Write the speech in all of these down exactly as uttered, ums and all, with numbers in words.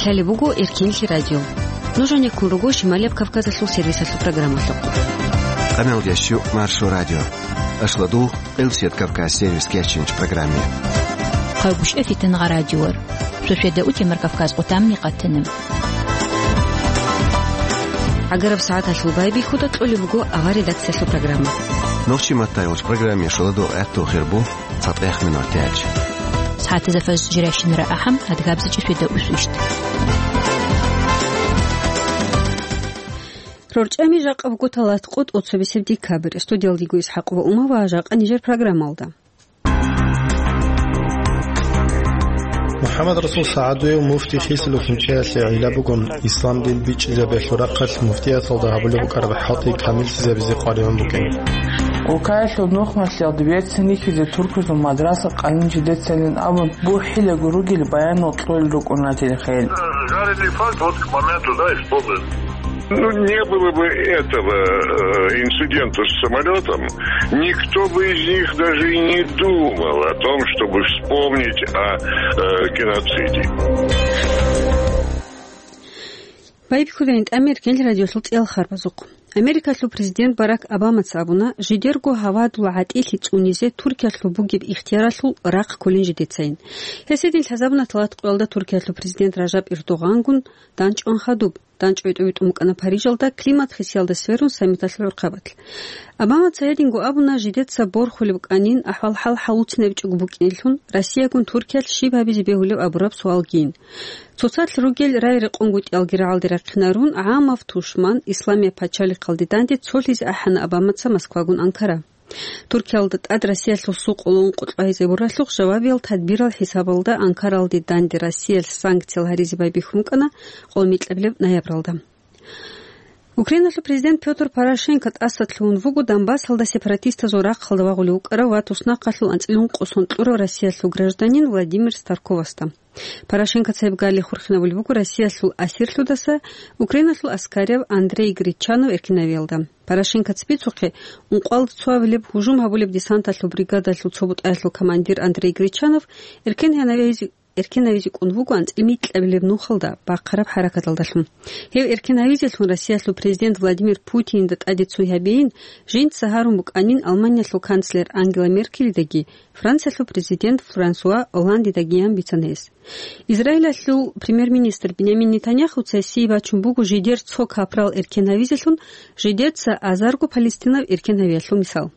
Талеб буго Эркенлъи радио. Нуж гьанеккун руго Шималияб Кавказалъул сервисалъул программалъухъ. Къамел ящу Маршо радио. Ашладу Элсет Кавказ сервис кечинч программе. Хъагушев Фитнагъа радиор. Шошеда утемар Кавказ къутамни къатанам. Агараб сагӀаталъул байбихьуда кьолеб буго авар редакциялъул программа. Нохчи маттайулч программе шоладу гӀатту хирбу. ЦатӀехъ минутач. СагӀатазда фажр жирайщинара ахӀам, адгабзичӀи шведа усвищт. РорчӀами жакъа буго талат къотӀ оцобисеб декабрь. Студиялдиго Исхакъ ва Умава жакъа нижер программалда. МухӀаммад Расул СагӀадуев муфти хисулухъин чӀеялъе гӀилла бугун, ислам дин бичӀчӀизабиялъул рахъалъ муфтияталда гьабулеб букӀараб хӀалтӀи камиллъизабизе къваригӀун букӀин. Улкаялъул нухмалъиялда берцин рихьизе туркузул мадраса къайин жидецайилан абун, бухӀилаго ругел баянал кьолел рукӀуна телехел. Жарили факт вот к моменту, да, исполнен. Ну, не было бы этого, э, инцидента с самолётом, никто бы из них даже и не думал о том, чтобы вспомнить о, э, геноциде. Байбихьулейин тӀамир гел радиолъул цӀиял харбазухъ. Америкалъул президент Барак Обамаца абуна, жидерго гьавадул гӀатӀилъи цӀунизе Туркиялъул бугеб ихтияралъул рахъ кколин жидецайин. Гьесидин лъазабуна талат къоялда Туркиялъул президент Ражаб Эрдогъангун данчӀван хадуб. ДанчӀвай тӀубитӀун букӀана Парижалда климат хисиялда сверун саммиталъул гӀурхъабалъ. Обамаца гьединго абуна, жидеца борхулеб букӀанин, ахӀвал-хӀал гьавуцинабичӀого букӀинелъун, Россиягун Туркиялъ щиб гьабизе бегьулеб абураб суалгийин. Цоцалъ ругел рай-рекъонгутӀиялги рагӀалде рахъинарун, гӀамав тушман, Исламияб пачалихъалде данде цолъизе ахӀана Обамаца Москвагун Анкара. Туркиялда тӀад Россиялъул сукъулун къутӀлагьизе буралъухъ жавабиял тадбирал хӀисабалда Анкаралде данде Россиялъ санкциял гьаризе байбихьун букӀана къолмикьабилеб ноябралда. Украиналъул президент Пётр Порошенко тӀаса лъугьун вуго Донбассалда сепаратистазул рахъалда вагъулев вукӀарав ва туснахъалъул анцӀила ункъо сон кьурав Россиялъул гражданин Владимир Старковасда. Порошенкоца гьеб гали хурхинабулеб буго Россиялъул асирлъудаса Украиналъул аскарияв Андрей Гречанов эркинавиялда. Порошенкоца бицухъе, ункъоялда цо абилеб гьужум гьабулеб десанталъул бригадалъул цо бутӀаялъул командир Андрей Гречанов эркин гьанавизе, эркинавизе кӀун вуго анцӀила микьабилеб нухалда бахъараб хӀаракаталдалъун. Гьев эркинавизелъун Россиялъул президент Владимир Путинда тӀаде цой гьабейин, жинца гьарун букӀанин Алманиялъул канцлер Ангела Меркелидаги Франциялъул президент Франсуа Олландидагиян бицана гьес. Израилалъул премьер-министр Бинямин Нетаньяхуца гьесие бачун буго жидер цо капрал эркин гьавизелъун, жидеца азарго Палестинав эркин гьавиялъул мисал.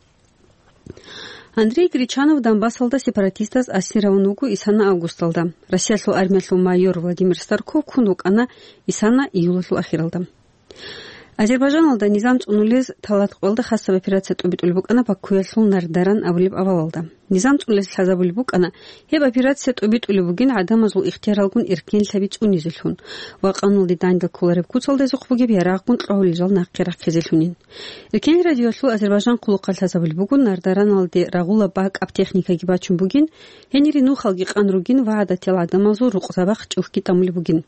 Андрей Гречанов Донбассалда сепаратистаз асир гьавун вуго исана августалда. Россиялъул армиялъул майор Владимир Старков ккун вукӀана исана июлалъул ахиралда. Азербайжаналда низам цӀунулез талат къоялда хасаб операция тӀубитӀулеб букӀана Бакуялъул Нардаран абулеб авалалда. Низам цӀунулез лъазабулеб букӀана, гьеб операция тӀубитӀулеб бугин гӀадамазул ихтияралгун эркенлъаби цӀунизелъун ва къануналде данде кколареб куцалдазухъ бугеб ярагъгун кьогьулел жал нахъе рахъизелъунин. Эркенлъи радиоялъул Азербайжан хъулухъалъ лъазабулеб буго, Нардараналде рагъула бакӀаб техникаги бачун бугин, гьенире нухалги къан ругин ва гӀадатиял гӀадамазул рукъзабахъ чӀухьги тӀамулеб бугин.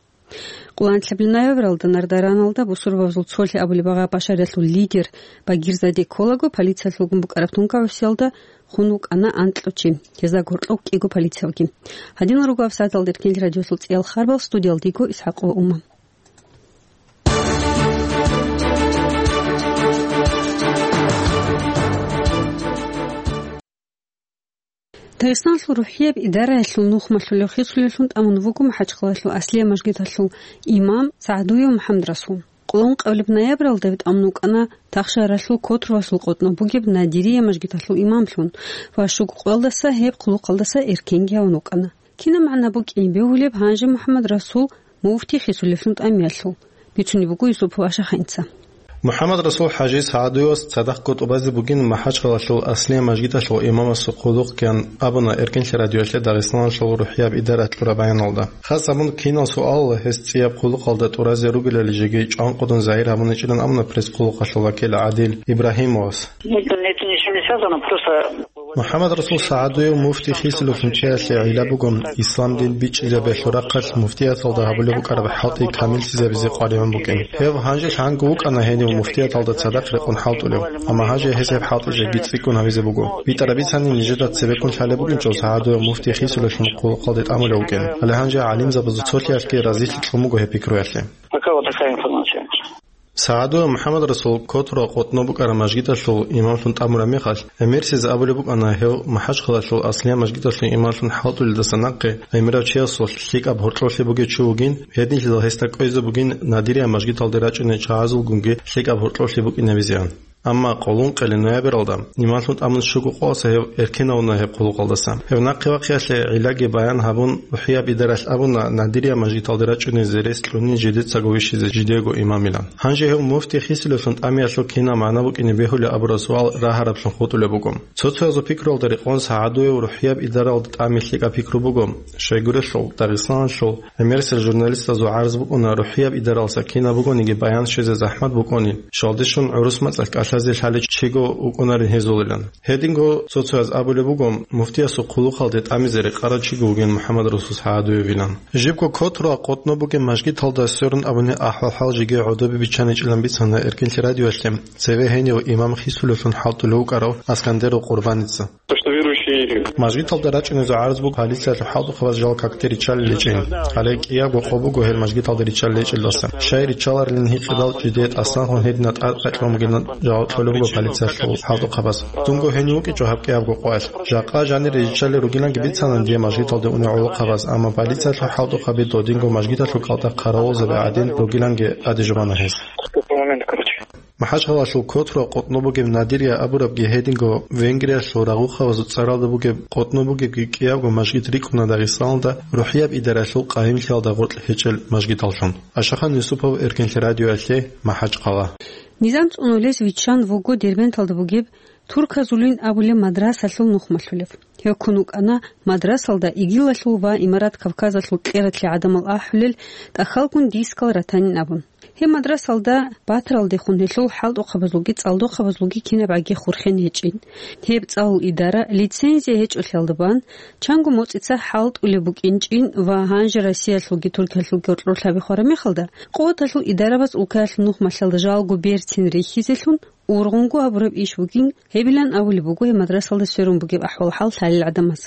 Къуланлъабил ноябралда Нардараналда бусурбабазул цолъи абулеб агъа Башариялъул лидер Багирзаде кколаго полициялъулгун букӀараб тункаусиялда хун вукӀана анкьа чи. Гьезда гьоркьоб кӀиго полициявги. Гьадинал руго абсагӀаталда Эркенлъи радиолъул цӀиял харбал, студиялдиго Исхакъова Ума. Дагъистаналъул рухӀияб идараялъул нухмалъулев хисулевлъун тӀамун вуго МахӀачхъалалъул Аслия мажгиталъул имам СагӀдуев МухӀаммадрасул. Къулун къавлеб ноябралда гьев тӀамун вукӀана Тахшаралъул Котровасул къотӀнов бугеб Надирия мажгиталъул имамлъун ва щуго къоялдаса гьеб хъулухъалдаса эркенги гьавун вукӀана. Кинаб магӀна букӀин бегьулеб гьанже МухӀаммадрасул муфти хисулевлъун тӀамиялъул? Бицунеб буго Юсупов Ашаханца. МухӀаммадрасул ХӀажи СагӀдуевас цадахъго тӀубазе бугин МахӀачхъалалъул Аслия мажгиталъул имамасул хъулухъ ккан абуна Эркенлъи радиоялъе Дагъистаналъул рухӀияб идара кьураб баяналда. Хас абун кинал суал гьес цӀияб хъулухъалда тӀуразе ругелали жеги чӀванкъудун загьир гьабуничӀилан абуна пресс-хъулухъалъул вакил ГӀадил Ибрагьимовас. Нет, нет, ничего не связано, просто МухӀаммадрасул СагӀадуев муфти хисулевлъун чиясе гӀилла буго ислам дин бичӀчӀизабиялъул рахъалъ муфтияталда гьабулеб букӀараб хӀалтӀи камиллъизабизе къваригӀун букӀин. Гьев гьанже лъанго вукӀана гьенив муфтияталда цадахъ рекъон хӀалтӀулев, амма гьанже гьес гьеб хӀалтӀи жеги цӀикӀкӀун гьабизе буго. БитӀараб бицани нижеда цебеккун лъалеб букӀинчӀо СагӀадуев муфти хисулевлъун хъулухъалде тӀамулев вукӀин. Гьале гьанже гӀалимзабазул цолъиялъги разилъи кьун буго гьеб пикруялъе. Пока вот такая информация. СагӀадуев МухӀаммадрасул котра къотӀно букӀараб мажгиталъул имамлъун тӀамураб мехалъ, гӀемерисез абулеб букӀана гьев МахӀачхъалалъул аслияб мажгиталъул имамлъун хӀалтӀулелдаса нахъе гӀемерав чиясул лъикӀаб гьоркьоблъи бугев чи вугин, гьединлъидал гьесда кӀвезе бугин Надирия мажгиталде рачӀунел чагӀазулгунги лъикӀаб гьоркьоблъи букӀинабизеан. Амма къоло ункъоялда ноябралда, имамлъун тӀамун щуго къоялъ гьев эркенавуна гьеб хъулухъалдаса. Гьев нахъе вахъиялъе гӀиллаги баян гьабун, РухӀияб идаралъ абуна Надирия мажгиталде рачӀунел зерес кьунин жидецаго вищизе жидего имамилан. Гьанже гьев муфти хисулевлъун тӀамиялъул кинаб магӀна букӀине бегьулеб абураб суал рагьараблъун хутӀулеб буго. Цо-цоязул пикруялда рекъон СагӀадуев РухӀияб идаралда тӀамиялъ лъикӀаб пикру буго. Щайгурелъул, Дагъистаналъул гӀемерисел журналистазул гӀарз букӀуна РухӀияб идаралъа кинаб бугониги баян щвезе захӀмат букӀунин, щвалде щун гӀурус мацӀалъ кӀалъазе лъалев чиго вукӀунарин гьезулилан. Гьединго цо-цояз абулеб буго, муфтиясул хъулухъалде тӀамизе рекъарав чиго вугин МухӀаммадрасул СагӀадуевилан. Жибго котра къотӀно бугеб мажгиталда сверун абунеб ахӀвал-хӀал жеги гӀодобе биччаничӀилан бицана Эркенлъи радиоялъе цеве гьенив имам хисулевлъун хӀалтӀулев вукӀарав Аскандеров Къурбаница. То, что верующие Мажгиталда рачӀунезул гӀарз буго полициялъул хӀалтӀухъабаз жал какде риччалел гьечӀин. Гьале кӀиябго къо буго гьел мажгиталда риччалел гьечӀелдаса. Щай риччаларилин гьикъидал жидее тӀасан хун гьедина тӀад къачӀун бугилан жаваб кьолеб буго полициялъул хӀалтӀухъабаз. Дунго гьенив вукӀинчӀо гьаб кӀиябго къоялъ. Жакъа жанир риччалел ругиланги бицанан дие мажгиталде унев гӀолохъабаз, амма полициялъул хӀалтӀухъаби додинго мажгиталъул кӀалтӀа хъаравулзаби гӀадин ругиланги тӀаде жубана гьез. МахӀачхъалалъул котра къотӀно бугеб Надирия абурабги гьединго Венгриялъул рагъухъабазул цӀаралда бугеб къотӀно бугебги кӀиябго мажгит рикӀкӀуна Дагъистаналда РухӀияб идаралъул къайимлъиялда гъоркь гьечӀел мажгиталлъун. Ашахан Юсупов, Эркенлъи радиоялъе, МахӀачхъала. Низам цӀунулез виччан вуго Дербенталда бугеб Турказулин абулеб мадрасалъул нухмалъулев. Гьев ккун вукӀана мадрасалда ИГИЛалъул ва Имарат Кавказалъул кьератлъи гӀадамал ахӀулел тӀахьалгун дискал ратанин абун. Гьеб мадрасалда батаралдехун гьелъул хӀалтӀухъабазулги цӀалдохъабазулги кинабгӀаги хурхен гьечӀин. Гьеб цӀалул идара лицензия гьечӀолъиялда бан, чанго моцӀица хӀалтӀулеб букӀинчӀин ва гьанже Россиялъулги Туркиялъулги гьоркьор лъаби хвараб мехалда, къуваталъул идарабаз улкаялъул нухмалъалда жалго берцин рихьизелъун ургъунго гьабураб иш бугин, гьебилан абулеб буго гьеб мадрасалда сверун бугеб ахӀвал-хӀал лъалел гӀадамаз.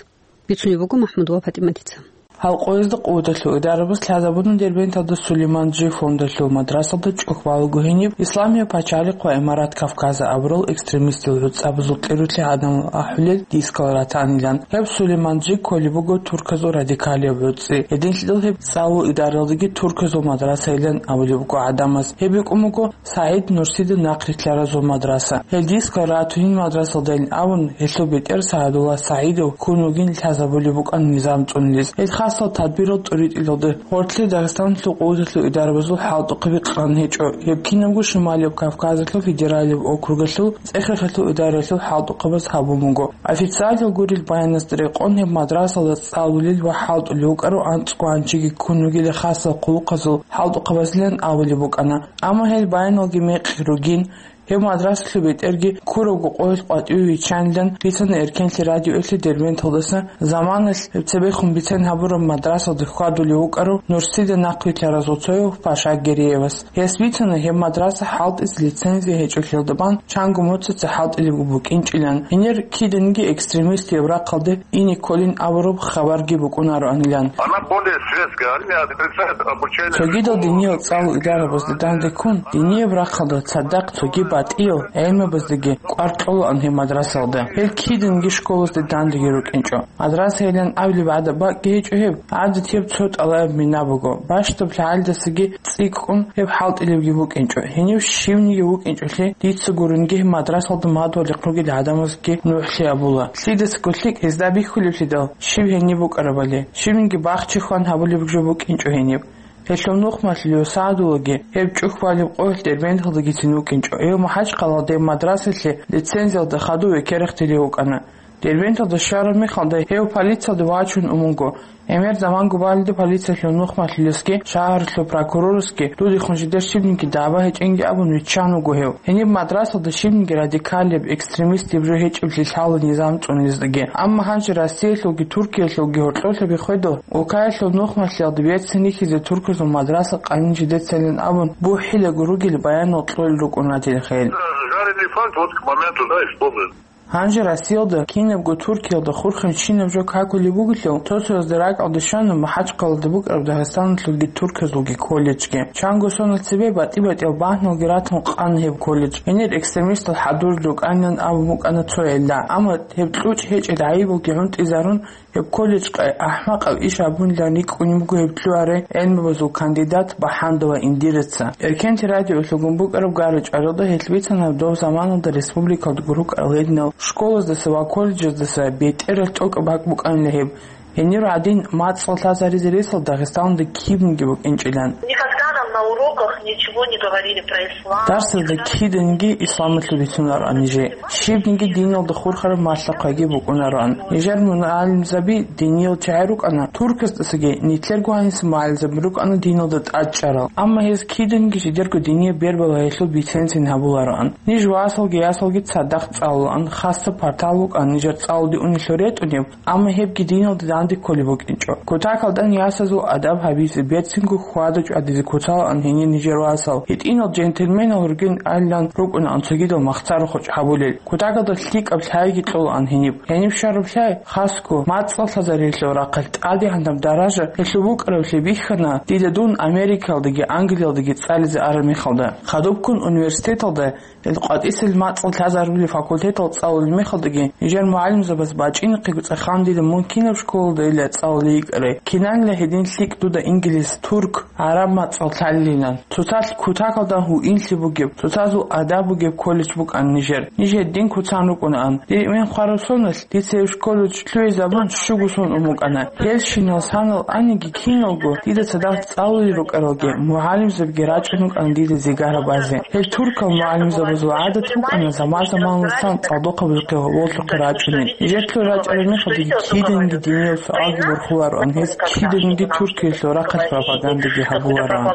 Бицунеб буго МахӀмудова ПатӀиматица. Гьал къоязда къуваталъул идарабаз лъазабуна Дербенталда Сулейман-Джи фондалъул мадрасалда чӀухь балаго гьениб Исламияб пачалихъ ва Имарат Кавказа абурал экстремистил гӀуцӀабазул кьератлъи гӀадамал ахӀулел дискал ратанилан. Гьеб Сулейман-Джи кколеб буго турказул радикалияб гӀуцӀи. Гьединлъидал гьеб цӀалул идаралдаги турказул мадрасайилан абулеб буго гӀадамаз. Гьеб букӀун буго СагӀид Нурсида нахърилълъаразул мадраса. Гьел дискал ратунин мадрасалдайин абун, гьелъул бетӀер СагӀадулла СагӀидов ккун вугин лъазабулеб букӀана низам цӀунулез. Гьел хасал тадбирал тӀуритӀилалда гьоркье Дагъистаналъул къуваталъул идарабазул хӀалтӀухъаби кьан гьечӀо. Гьеб кинабго Шималияб Кавказалъул федералияб округалъул ЦӀехехалъул идаралъул хӀалтӀухъабаз гьабун буго. Официалал гурел баяназда рекъон гьеб мадрасалда цӀалулел ва хӀалтӀулев вукӀарав анцӀго гьанжеги ккун вугила хасал хъулухъазул хӀалтӀухъабазилан абулеб букӀана. Амма гьел баяналги мекъи ругин, гьеб мадрасалъул бетӀерги ккурабго къоялъ къватӀиве виччанилан бицана Эркенлъи радиоялъе Дербенталдаса заманалъ гьеб цебехун бицен гьабураб мадрасалда хьвадулев вукӀарав Нурсида нахърилълъаразул цояв Паша Гереевас. Гьес бицана гьеб мадраса хӀалтӀизе лицензия гьечӀолъиялда бан чанго моцӀица хӀалтӀилеб букӀинчӀилан, гьенир киданиги экстремистияб рахъалде ине кколин абураб хабарги букӀунароанилан. Она более светская, они отрицают обучение. Цогидал диниял цӀалул идарабазда данде ккун, динияб рахъалда цадахъ цоги батӀиял гӀелмабаздаги кӀвар кьолаан гьеб мадрасалда. Гьел киданиги школазда дандеги рукӀинчӀо. Мадрасайилан абулеб гӀадаб бакӀги гьечӀо гьеб, гӀадатияб цо тӀалаб мина буго. Бащдаб лъагӀалдасаги цӀикӀкӀун гьеб хӀалтӀилебги букӀинчӀо. Гьенив щивниги вукӀинчӀолъи, дица гурунги гьеб мадрасалда мадугьалихъ ругел гӀадамазги нугӀлъи абула. Лъидасаго лъикӀ гьезда бихьулеблъидал, щив гьениб букӀарабали, щивниги бахчи хван гьабулеб жо букӀинчӀо гьениб. Гьелъул нухмалъулев СагӀадуллаги гьеб чӀухь балеб къоялъ Дербенталдагицин вукӀинчӀо. Гьев МахӀачхъалалде мадрасалъе лицензиялда хадув векерахъ телев вукӀана. Дербенталда щвараб мехалда гьев полициялде вачун ун вуго. ГӀемер заманго балида полициялъул нухмалъулесги, шагьаралъул прокурорасги дудехун жидер щибниги даба гьечӀинги абун виччан вуго гьев. Гьениб мадрасалда щибниги радикалияб, экстремистияб жо гьечӀеблъи лъала низам цӀуниздаги. Амма гьанже Россиялъулги Туркиялъулги гьоркьоблъи биххедал, улкаялъул нухмалъиялда берцин рихьизе турказул мадраса къанин жидецайилан абун бухӀилаго ругел баянал кьолел рукӀун ратил хел. Жареный факт вот к моменту, да, исполнен. Гьанже Россиялда, кинабго Туркиялда хурхинчинаб жо какулеб бугелъул, цо-цоязда ракӀалде щвана МахӀачхъалада букӀараб Дагъистаналъулги Турказулги колледжги. Чанго соналъ цебе батӀи-батӀиял багьналги ратун къана гьеб колледж. Гьенир экстремистал хӀадурал рукӀанилан абун букӀана цо гӀилла. Амма гьеб кьучӀ гьечӀел гӀайибалги гӀунтӀизарун, гьеб колледжкъе ахӀмакъаб иш гьабунилан рикӀкӀунеб буго гьеб лъугьарай гӀелмабазул кандидат Бахандова Индираца. Эркенлъи радиоялъулгун букӀараб гара-чӀваралда гьелъ бицана доб заманалда республикалда гурукӀарал гьединал школаздаса ва колледжаздаса бетӀералъ тӀокӀаб бакӀ букӀанила гьеб. Гьенир гӀадин, мацӀал лъазаризе ресал Дагъистаналда кибниги букӀинчӀилан. Никогда нам на уроках ничего не говорили про ислам. Дарсазда киданги исламалъул бицунароан нижее. Щибниги диналда хурхараб малъа-хъвайги букӀунароан. Нижер мугӀалимзаби диниял чагӀи рукӀана, туркасдасаги, нилъерго гьаниса мугӀалимзаби рукӀана диналда тӀадчӀарал. Амма гьез киданги жидерго динияб бербала гьелъул бицен-цин гьабулароан. Ниж васалги ясалги цадахъ цӀалулаан, хасаб партал букӀан нижер цӀалулде унелъул ретӀунеб, амма гьебги диналда данде кколеб букӀинчӀо. Кутакалда ясазул адаб гьабизе, берцинго хьвада-чӀвадизе куцалаан гьенир нижер васал. ГьитӀинал джентльменал ругин айилан рукӀунаан цогидал махцарухъ гьабулел. Кутакалда лъикӀаб лъайги кьолаан гьениб. Гьениб щвараб лъай, хасго, мацӀал лъазариялъул рахъалъ тӀадегӀанаб даража гьелъул букӀаравлъи бихьана, дида дун Америкалдаги Англиялдаги цӀализе араб мехалда. Хадубккун университеталда Ил къватӀисел мацӀал лъазарулел факультетал цӀалулел мехалдаги, нижер мугӀалимзабаз бачӀинахъего цӀехандила мун кинаб школалда ила цӀалулей йикӀарай, кинанила гьедин лъикӀ дуда инглис, турк, гӀараб мацӀал лъалилан. Цоцалъ кутакалда гьуинлъи бугеб, цоцазул адаб бугеб колледж букӀан нижер. Ниж гьедин куцан рукӀунаан. Дир эмен хвараб соналъ, дица гьеб колледж лъугӀизабун щуго сон ун букӀана. Гьелщинал санал аниги киналго, дида цадахъ цӀалулел рукӀаралги, мугӀалимзабиги рачӀун рукӀана дида зигара базе. Гьел туркал мугӀалимзабазул гӀадат букӀана заман-заманалдасан цӀалдохъабазухъе гьоболлъухъе рачӀунел. Нижер лъугӀизе рачӀараб мехалдаги киданиги диниял суалги борхулароан, гьез киданиги Туркиялъул рахъалъ пропагандаги гьабулароан.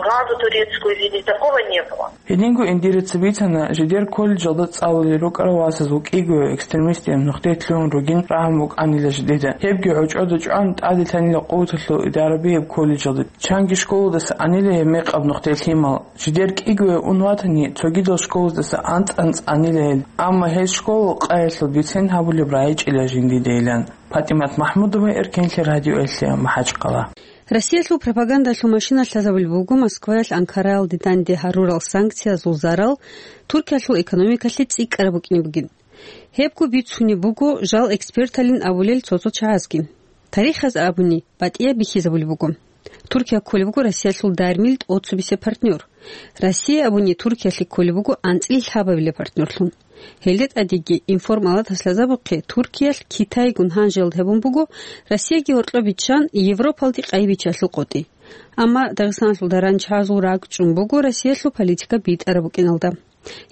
Гьединго Индираца бицана, жидер колледжалда цӀалулел рукӀарал васазул кӀиго экстремистияб нухде лъугьун ругин рагӀун букӀанила жидеда. Гьебги гӀочӀода чӀван, тӀаделъанила къуваталъул идараби гьеб колледжалда. Чанги школадаса анила гьеб мекъаб нухде лъимал. Жидер кӀиго ун ватани, цогидал школаздаса анцӀ-анцӀ анила гьел. Амма гьез школа къаялъул бицен гьабулеб рагӀичӀила жиндидейилан. ПатӀимат МахӀмудова, Эркенлъи радиоялъе, МахӀачхъала. Россиялъул пропагандалъул машина лъазабулеб буго Москваялъ Анкараялде данде гьарурал санкциязул зарал Туркиялъул экономикалъе цӀикӀкӀараб букӀине бугин. Гьебго бицунеб буго жал эксперталин абулел цо-цо чагӀазги. Тарихаз абуни, батӀияб бихьизабулеб буго. Туркия кколеб буго Россиялъул дармил тӀоцебесеб партнер. Россия абуни Туркиялъе кколеб буго анцӀила лъабабилеб партнерлъун. Гьелде тӀадеги информалатас лъазабухъе Туркиялъ Китайгун гьанжелалда гьабун буго Россияги гьоркьоб биччан Европалде къайи биччалъул къотӀи. Амма Дагъистаналъул даран чагӀазул ракӀчӀун буго Россиялъул политика битӀараб букӀиналда.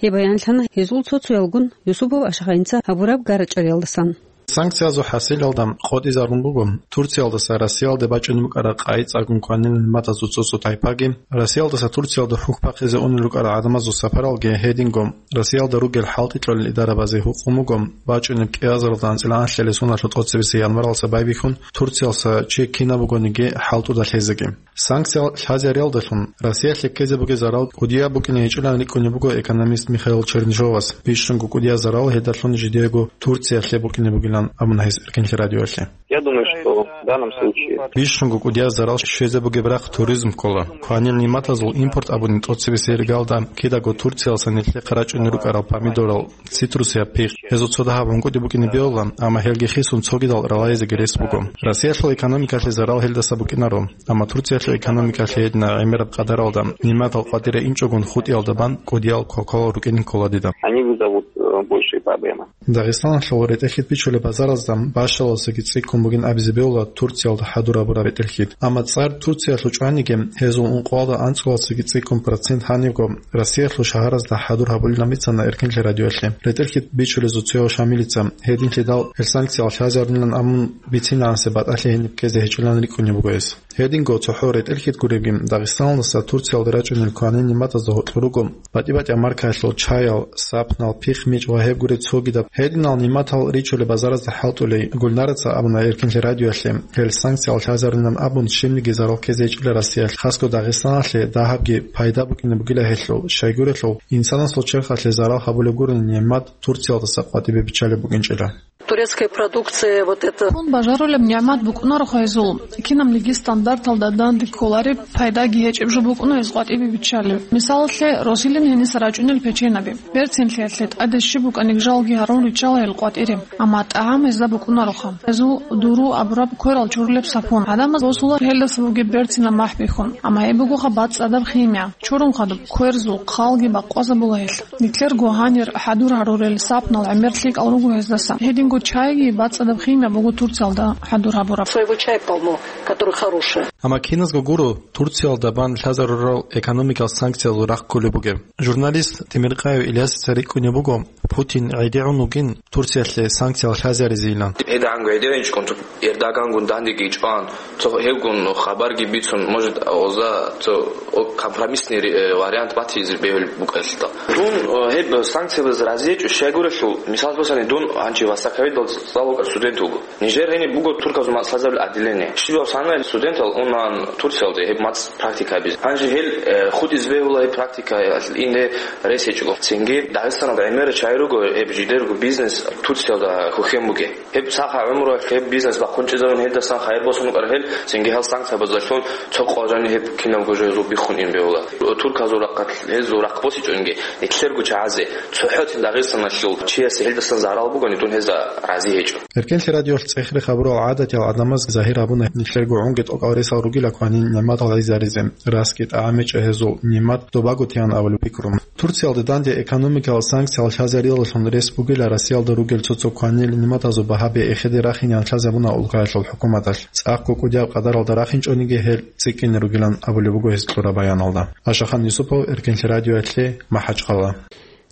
Гьеб баянлъана гьезул цо-цоялгун Юсупов Ашахайнца гьабураб гара-чӀвариялдасан. Санкциязул хӀасилалда къотӀизарун буго Турциялдаса Россиялде бачӀунеб букӀараб къайи цӀакъун кванилан матазул цо-цо тайпаги, Россиялдаса Турциялда хӀухь бахъизе унел рукӀарал гӀадамазул сапаралги, гьединго Россиялда ругел хӀалтӀи кьолел идарабазе гьукъун буго бачӀунеб кӀиазаралда анцӀила анлъалесуналъул тӀоцебесеб январалдаса байбихьун Турциялдаса чи кинаб бугониги хӀалтӀуда лъезеги. Санкция лъазариялдалъун Россиялъе ккезе бугеб зарал кӀудияб букӀине гьечӀилан рикӀкӀунеб буго экономист Михаил Чернышовас. Бищунго кӀудияб зарал гьедалъун жидеего Турциялъе букӀине бугилан абуна гьес Эркенлъи радиоялъе. Я думаю, что в данном случае Бищунго кӀудияб зарал щвезе бугеб рахъ туризм ккола. Кванил нигӀматазул импорт абуни тӀоцебесеб иргалда кидаго Турциялдаса нилъехъе рачӀунел рукӀарал помидорал, цитрусияб пихъ. Гьезул цо дагьаб гьункӀуди букӀине бегьулаан, амма гьелги хисун цогидал ралайзеги рес буго. Россиялъул экономикалъе зарал гьелдаса букӀинаро, амма Турциялъул экономикалъе гьединаб гӀемераб къадаралда, нигӀматал къватӀире инчӀогун хутӀиялда бан кӀудиял квалквал рукӀине ккола дида. Они вызовут, э, большие проблемы. Дагъистаналъул ретӀелъи бичулеб Саразда бащаласаги цӀикӀкӀун бугин абизе бегьула Турциялда хӀадур гьабураб ретӀел-хьид. Амма цӀар Турциялъул чӀваниги, гьезул ункъоялда анцӀгоялдасаги цӀикӀкӀун процент гьанибго Россиялъул шагьаразда хӀадур гьабулилан бицана Эркенлъи радиоялъе. РетӀел-хьид бичулезул цояв Шамилица, гьединлъидал гьел санкциял лъазарунилан абун бицинегӀанасеб батӀалъи гьениб ккезе гьечӀилан рикӀкӀунеб буго гьес. Гьединго цохӀо ретӀел-хьид гуребги, Дагъистаналдаса Турциялде рачӀунел кванил нигӀматазда гьоркьор руго батӀи-батӀияб маркаялъул чаял, сапнал, пихъ-мичӀ ва гьеб гуреб цогидаб. Гьединал нигӀматал ричулеб базаразда хӀалтӀулей. Гульнараца абуна Эркенлъи радиоялъе, гьел санкциял лъазарунилан абун щибниги зарал ккезе гьечӀила Россиялъ, хасго Дагъистаналъе дагьабги пайда букӀине бугила гьелъул, щайгурелъул, инсанасул черхалъе зарал гьабулеб гурони нигӀмат Турциялдаса къватӀибе биччалеб букӀинчӀила. Турецкая продукция, вот это. Хун бажарулеб нигӀмат букӀунароха гьезул, кинабниги стандарталда данде кколареб, пайдаги гьечӀеб жо букӀуна гьез къватӀибе биччалеб. Мисалалъе, росилин гьениса рачӀунел печенаби. Берцинлъиялъе тӀаде щиб букӀаниги жалги гьарун риччала гьел къватӀире. Амма тӀагӀам гьезда букӀунароха. Гьезул дуру абураб кверал чурулеб сапун. ГӀадамаз босула гьелдаса бугеб берцинаб махӀ бихьун. Амма гьеб бугоха бацӀцӀадаб химия. Чурун хадуб, кверзул хъалги бакъвазабула гьелъ. Нилъерго гьанир хӀадур гьарурел сапнал гӀемер лъикӀал руго гьездаса. Гьединго чайги бацӀцӀадаб химия буго Турциялда хӀадур гьабураб. Своего чая полно, который хороший. Амма киназго гуро Турциялда бан лъазарурал экономикал санкциязул рахъ кколеб бугеб. Журналист Темиркъаев Ильясица рикӀкӀунеб буго, Путин гӀедегӀун вугин Турциялъе санкциял лъазаризейилан. ГьедагӀанго гӀедегӀинчӀкӀун Эрдогангун дандеги чӀван, цо гьевгун хабарги бицун, может, оза цо о-, компромиссный ре-, э, вариант батизе бегьулеб букӀалда. Дун, э, гьеб санкциябаз разиечӀо щайгурелъул, мисал босани, дун гьанчи васаковидал цӀалукӀа студент вуго. Нижер гьениб буго турказул мацӀ лъазабил отделение. Щибаб санай студентал унан Турциялде гьеб мацӀ практика гьабизе. Гьанже гьел, э, хутӀизе бегьула гьеб практика инде рес гьечӀого. Цинги Дагъистаналда гӀемер чай руго, гьеб жидерго бизнес Турциялда хухьен бугеб. Гьеб сахаб гӀумруялъ гьеб бизнес бахъун чӀезарун гьелдасан хайир босун букӀараб гьел, цинги гьал санкциябазулъун цо къважани гьеб кинабго жо гьезул биххун ин бегьула. Турказул рахъалъ гьезул рахъ босичӀонги, нилъерго чагӀазе, цохӀоцин Дагъистаналъул чиясе гьелдасан зарал бугони, дун гьезда рази гьечӀо. Эркенлъи радиоялъ цӀехре хабурал гӀадатиял гӀадамаз загьир гьабуна нилъерго гӀунги тӀокӀал ресал ругила кванил нигӀматал гӀезаризе, расги тӀагӀамичӀа гьезул нигӀмат добаго тиян абулеб пикру. Турциялда данде экономикал санкциялъ лъазарилаллъун рес бугила Россиялда ругел цо-цо кванил нигӀматазул багьаби эхеде рахинян лъазабуна улкаялъул хӀукуматалъ, цӀакъго кӀудияб къадаралда рахинчӀониги гьел цӀикӀкӀине ругилан абулеб буго гьез кьураб баяналда. Ашахан Юсупов, Эркенлъи радиоялъе, МахӀачхъала.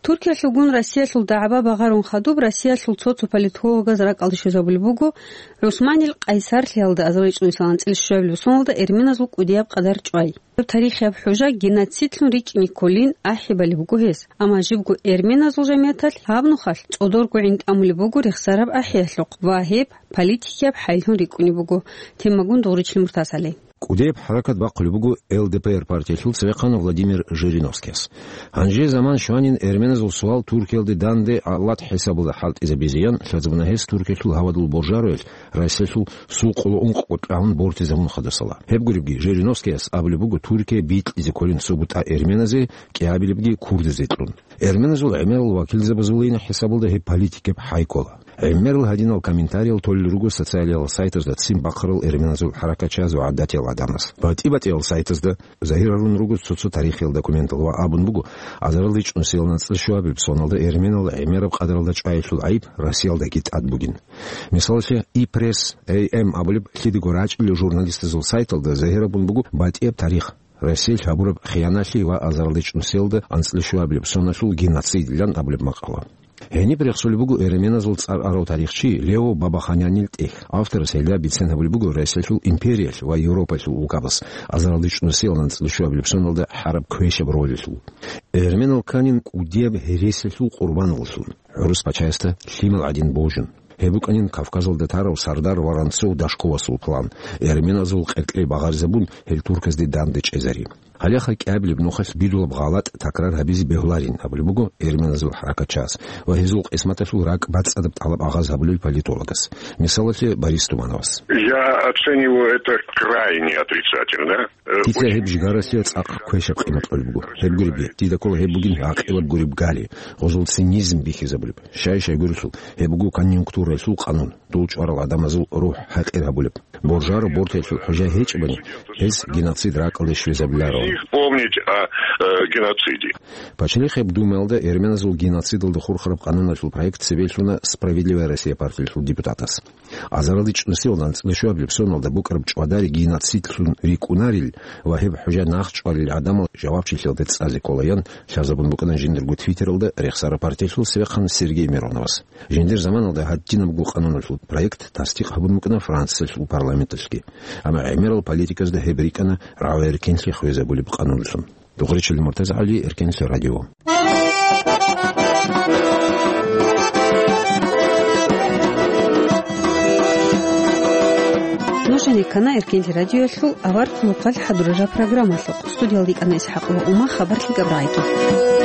Туркиялъулгун Россиялъул дагӀба багъарун хадуб, Россиялъул цо-цо политологаз ракӀалде щвезабулеб буго ГӀусманил Къайсарлъиялда азарилчӀунсилан анцӀила щвабилеб соналда эрменазул кӀудияб къадар чӀвай. Гьеб тарихияб хӀужа геноцидлъун рикӀкӀине кколин ахӀи балеб буго гьес. Амма жибго эрменазул жамияталъ гьаб нухалъ цӀодорго гӀин тӀамулеб буго рехсараб ахӀиялъухъ ва гьеб политикияб хӀайлъун рикӀкӀунеб буго. Темагун Дугъричлъи Муртазали. КӀудияб хӀаракат бахъулеб буго Л Д П Р партиялъул цевехъан Владимир Жириновскияс. Гьанже заман щванин эрменазул суал Туркиялде данде гӀалат хӀисабалда хӀалтӀизабизеян лъазабуна гьес Туркиялъул гьавадул боржароялъ Россиялъул сул къоло ункъго тӀагӀун бортизабун хадусала. Гьеб гуребги, Жириновскияс абулеб буго Туркия бикьизе кколин субутӀа эрменазе, кӀиабилебги курдазе кьун. Эрменазул гӀемерал вакилзабазулин хӀисабалда гьеб политикаб хӀай ккола. ГӀемерал гьадинал комментариял толел руго социалиял сайтазда ццин бахъарал эрменазул хӀаракатчияз ва гӀадатиял гӀадамаз. БатӀи-батӀиял сайтазда загьир гьарун руго цо-цо тарихиял документал ва абун буго, азарилда чӀунсиял анцӀила щуабилеб соналда эрменал гӀемераб къадаралда чӀваялъул гӀайиб Россиялдаги тӀад бугин. Мисалалъе, И Пресс, А М абулеб лъидего рачӀунел журналистазул сайталда загьир гьабун буго батӀияб тарих, Россиялъ гьабураб хиянатлъи ва азарилда чӀунсиялда анцӀила щуабилеб соналъул геноцидилан абулеб макъала. Гьениб рехсулеб буго эрменазул цӀар арав тарихчи Лео Бабаханянил тӀехь. Авторас гьелда бицен гьабулеб буго Россиялъул империялъ ва Европаялъул улкабаз азарилда чӀунсиял анцӀила щуабилеб соналда гьараб квешаб ролалъул. Эрменал кканин кӀудияб гьересиялъул къурбаналлъун, гӀурус пачаясда лъимал гӀадин божун. Гьеб букӀанин Кавказалда тарав сардар Воронцов-Дашковасул план, эрменазул къеркьей багъаризабун, гьел турказде данде чӀезари. Гьалеха кӀиабилеб нухалъ бидулаб гъалатӀ такрар гьабизе бегьуларин абулеб буго эрменазул хӀаракатчияс ва гьезул къисматалъул ракӀ бацӀцӀадаб тӀалаб агъаз гьабулел политологас, мисалалъе, Борис Тумановас. Я оцениваю это крайне отрицательно. Э, Дица очень гьеб жигаралъе цӀакъ квешаб къимат кьолеб буго. Гьеб гуребги, дида ккола гьеб бугин гӀакъилаб гуреб гали, гъозул цинизм бихьизабулеб. Щай-щайгурелъул, гьеб буго конъюнктураялъул къанун, дул чӀварал гӀадамазул рухӀ хӀакъир гьабулеб. Боржаро бортаялъул хӀужа гьечӀебани, гьес геноцид ракӀалде щвезабиларо. помнить о, э, геноциде. Пачалихъеб Думаялда эрменазул геноцидалда хурхараб къануналъул проект цебе лъуна «Справедливая Россия» партиялъул депутатас. Азаралде чӀунусиялда анцӀила щуабилеб соналда букӀараб чӀвадари геноцидлъун рикӀкӀунарел ва гьеб хӀужа нахъчӀвалел гӀадамал жавабчилъиялде цӀазе кколаян лъазабун букӀана жиндирго Твиттералда рехсараб партиялъул цевехъан Сергей Мироновас. Жиндир заманалда гьадинабго къануналъул проект тасдикъ гьабун букӀана Франциялъул парламенталъги. Амма гӀемерал политиказда гьеб рикӀкӀана рагӀи-эркенлъи хвезабулеб къануналъун. Дугъричил МуртазагӀали, Эркенлъи радио. Нуж гьанеккана Эркенлъи радиоялъул авар хъулухъалъ хӀадурараб программалъухъ. Студиялда йикӀана ИсхӀакъова Ума, хабар лъикӀаб рагӀиги.